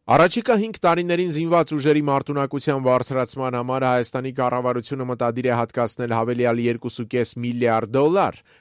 Առաջիկա 5 տարիներին զինված ուժերի մարտունակության բարձրացման համար Հայաստանի կառավարությունը մտադիր է հատկացնել հավելյալ $2.5 միլիարդ։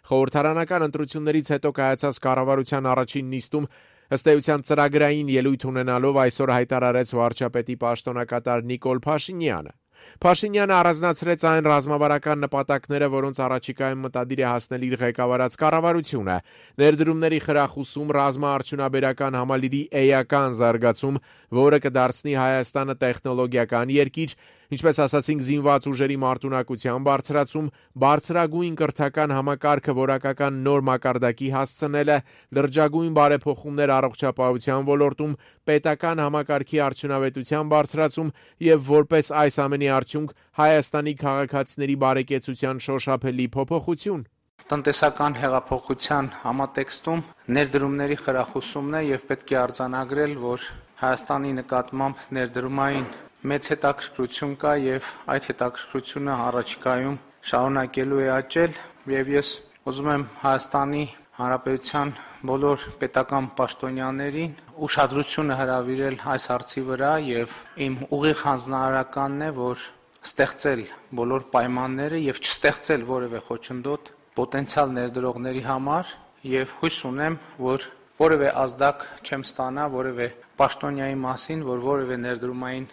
Խորհրդարանական ընտրություններից հետո կայացած կառավարության առաջին նիստում ըստ էության ծրագրային ելույթ ունենալով այսօր հայտարարեց վարչապետի պաշտոնակատար Նիկոլ Փաշինյանը։ Փաշինյանը առանձնացրեց այն ռազմավարական նպատակները, որոնց առաջիկայում մտադիր է հասնել իր ղեկավարած կառավարությունը՝ ներդրումների խրախուսում, ռազմաարդյունաբերական համալիրի էական զարգացում, որը կդարձնի Հայաստանը տեխնոլոգիական երկիր, ինչպես ասացինք, զինված ուժերի մարտունակության բարձրացում, բարձրագույն կրթական համակարգը որակական նոր մակարդակի հասցնելը, լրջագույն բարեփոխումներ առողջապահության ոլորտում, պետական համակարգի արդյունավետության բարձրացում եւ որպես այս ամենի արդյունք Հայաստանի քաղաքացիների բարեկեցության շոշափելի փոփոխություն։ Տնտեսական հեղափոխության համատեքստում ներդրումների խրախուսումն է եւ պետք է արձանագրել, որ Հայաստանի նկատմամբ ներդրումային մեծ հետաքրքրություն կա եւ այդ հետաքրքրությունը առաջիկայում շարունակելու է աճել եւ ես ուզում եմ Հայաստանի Հանրապետության բոլոր պետական պաշտոնյաներին ուշադրությունը հրավիրել այս հարցի վրա եւ իմ ուղիղ հանձնարարականն է, որ ստեղծել բոլոր պայմանները եւ չստեղծել որևէ խոչընդոտ պոտենցիալ ներդրողների համար եւ հույս ունեմ, որ որևէ ազդակ չեմ ստանա որևէ պաշտոնյայի մասին, որ որևէ ներդրումային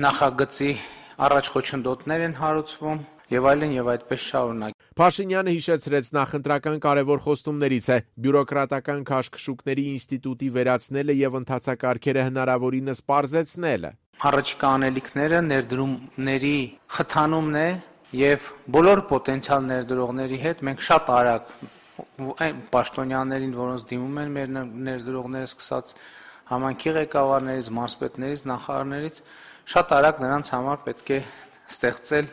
նախագծի առաջ խոչընդոտներ են հարուցվում եւ այլն եւ այդպես շարունակ։ Փաշինյանը հիշեցրեց նախընտրական կարևոր խոստումներից է բյուրոկրատական քաշքշուկների ինստիտուտի վերացնելը եւ ընթացակարգերը հնարավորինս պարզեցնելը։ Առաջիկա անելիքները ներդրումների խթանումն է եւ բոլոր պոտենցիալ ներդրողների հետ մենք շատ արագ այն պաշտոնյաներին, որոնց դիմում են մեր ներդրողները, սկսած համայնքի ղեկավարներից, մարզպետներից, նախարարներից, շատ արագ նրանց համար պետք է ստեղծել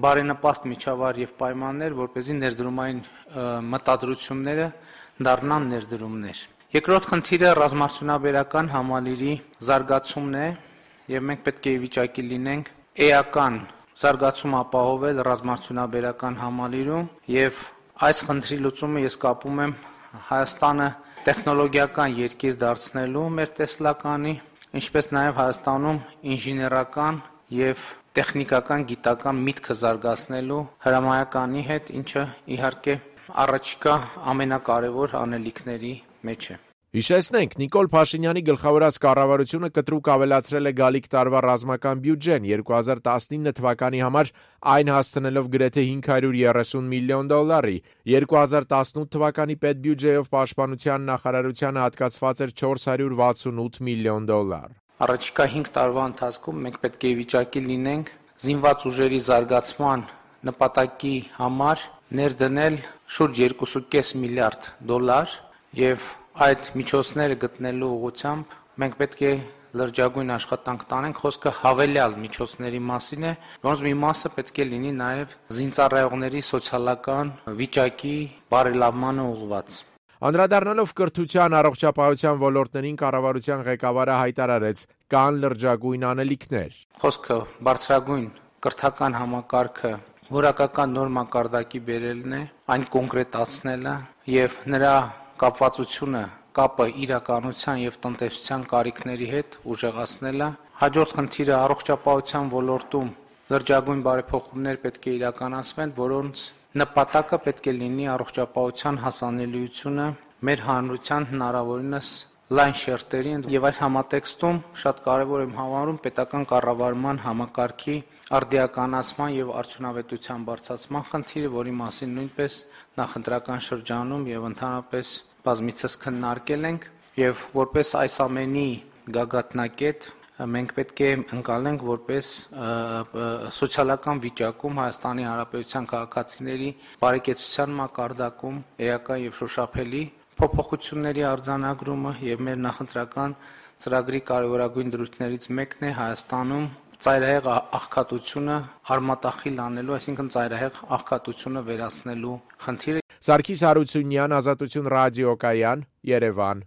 բարենպաստ միջավայր եւ պայմաններ, որպեսզի ներդրումային մտադրությունները դառնան ներդրումներ։ Երկրորդ խնդիրը ռազմաարդյունաբերական համալիրի զարգացումն է եւ մենք պետք է ի վիճակի լինենք էական զարգացում ապահովել ռազմաարդյունաբերական համալիրում եւ այս խնդրի լուծումը ես կապում եմ Հայաստանը տեխնոլոգիական երկիր դարձնելու մեր տեսլականի, ինչպես նաև Հայաստանում ինժեներական եւ տեխնիկական գիտական միտքը զարգացնելու հրամայականի հետ, ինչը իհարկե առաջիկա ամենակարևոր անելիքների մեջ է։ Հիշեցնենք, Նիկոլ Փաշինյանի գլխավորած կառավարությունը կտրուկ ավելացրել է գալիք տարվա ռազմական բյուջեն 2019 թվականի համար, այն հասցնելով գրեթե $530 միլիոն։ 2018 թվականի պետբյուջեով պաշտպանության նախարարությանը հատկացված էր $468 միլիոն։ Առաջիկա 5 տարվա ընթացքում մենք պետք է ի վիճակի լինենք զինված ուժերի զարգացման նպատակի համար ներդնել շուրջ $2.5 միլիարդ եւ այդ միջոցները գտնելու ուղղությամբ մենք պետք է լրջագույն աշխատանք տանենք, խոսքը հավելյալ միջոցների մասին է, որոնց մի մասը պետք է լինի նաև զինծառայողների սոցիալական վիճակի բարելավմանը ուղղված։ Անդրադառնալով կրթության, առողջապահության ոլորտներին կառավարության ղեկավարը հայտարարեց՝ կան լրջագույն անելիքներ։ Խոսքը բարձրագույն կրթական համակարգը որակական նոր մակարդակի բերելն է, այն կոնկրետացնելը եւ նրա կապը իրականության եւ տնտեսության կարիքների հետ ուժեղացնելը։ Հաջորդ խնդիրը առողջապահության ոլորտում լրջագույն բարեփոխումներ պետք է իրականացվեն, որոնց նպատակը պետք է լինի առողջապահության հասանելիությունը մեր հանրության հնարավորինս լայն շերտերի եւ այս համատեքստում շատ կարեւոր եմ համարում պետական կառավարման համակարգի արդիականացման եւ արդյունավետության բարձրացման խնդիրը, որի մասին նույնպես նախընտրական շրջանում եւ ընդհանրապես բազմիցս քննարկել ենք եւ որպես այս ամենի գագաթնակետ մենք պետք է ընկալենք որպես սոցիալական վիճակում Հայաստանի Հանրապետության քաղաքացիների բարեկեցության մակարդակում էական եւ շոշափելի փոփոխությունների արձանագրումը եւ մեր նախընտրական ծրագրի կարևորագույն դրույթներից մեկն է Հայաստանում ծայրահեղ աղքատությունը արմատախիլ անելու, այսինքն ծայրահեղ աղքատությունը վերացնելու խնդիրը։ Սարգիս Հարությունյան, Ազատություն ռադիոկայան, Երևան։